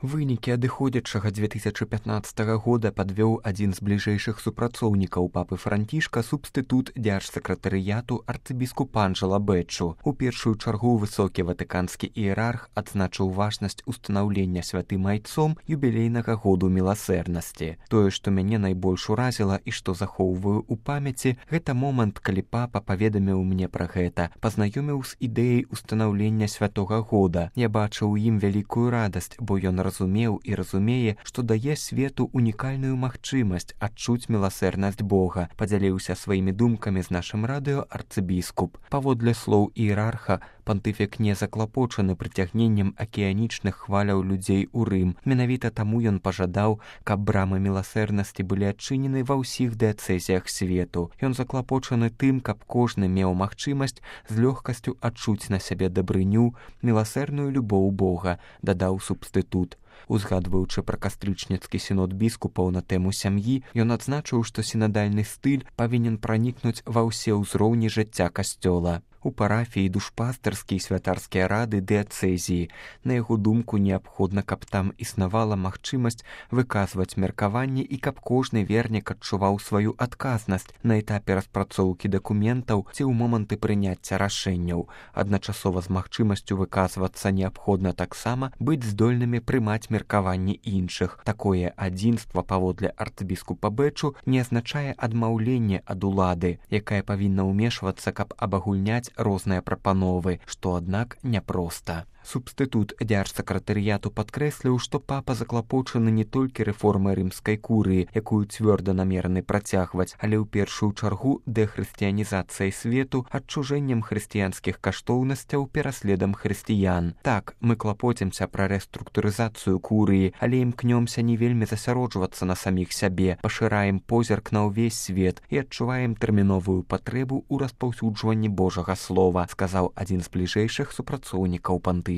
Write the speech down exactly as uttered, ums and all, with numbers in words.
Вынікі адыходзячага две тысячы пятнаццатага года падвёў адзін з бліжэйшых супрацоўнікаў папы Францішка, субстытут дзяржсакратарыяту арцыбіскуп Анджела Бэчу. У першую чаргу высокі ватыканскі іерарх адзначыў важнасць устанаўлення святым айцом юбілейнага году міласэрнасці. Тое, што мяне найбольш уразіла і што захоўваю ў памяці, гэта момант, калі папа паведаміў мне пра гэта, пазнаёміў з ідэяй устанаўлення святога года. Я бачыў у ім вялікую радасць, бо ён разумеў і разумее, што дае свету унікальную магчымасць адчуць міласэрнасць Бога, падзяліўся сваімі думкамі з нашым радыё арцыбіскуп. Паводле слоў іерарха, пантыфік не заклапочаны прыцягненнем акіянічных хваляў людзей у Рым. Менавіта таму ён пажадаў, каб брамы міласэрнасці былі адчынены ва ўсіх дыяцэзіях свету. Ён заклапочаны тым, каб кожны меў магчымасць з лёгкасцю адчуць на сябе дабрыню, міласэрную любоў Бога, дадаў субстытут. Узгадваючы пра кастрычніцкі сінод біскупаў на тэму сям'і, ён адзначыў, што сінадальны стыль павінен пранікнуць ва ўсе ўзроўні жыцця касцёла. У парафіі душпастарскія і святарскія рады дыяцэзіі. На яго думку, неабходна, каб там існавала магчымасць выказваць меркаванні і каб кожны вернік адчуваў сваю адказнасць на этапе распрацоўкі дакументаў ці ў моманты прыняцця рашэнняў. Адначасова з магчымасцю выказвацца неабходна таксама быць здольнымі прымаць меркаванні іншых. Такое адзінства, паводле арцыбіскупа Бэчу, не азначае адмаўленне ад улады, якая павінна ўмешвацца, каб абагульняць розныя прапановы, што, аднак, няпроста. Субстытут дзяржсакратарыяту падкрэсліў, што папа заклапочаны не толькі рэформай рымскай курыі, якую цвёрда намераны працягваць, але ў першую чаргу дэхрысціянізацыяй свету, адчужэннем хрысціянскіх каштоўнасцяў, пераследам хрысціян. Так, мы клапоцімся пра рэструктурызацыю курыі, але імкнёмся не вельмі засяроджвацца на саміх сябе, пашыраем позірк на ўвесь свет і адчуваем тэрміновую патрэбу ў распаўсюджванні Божага слова, сказаў адзін з бліжэйшых супрацоўнікаў пантыфіка.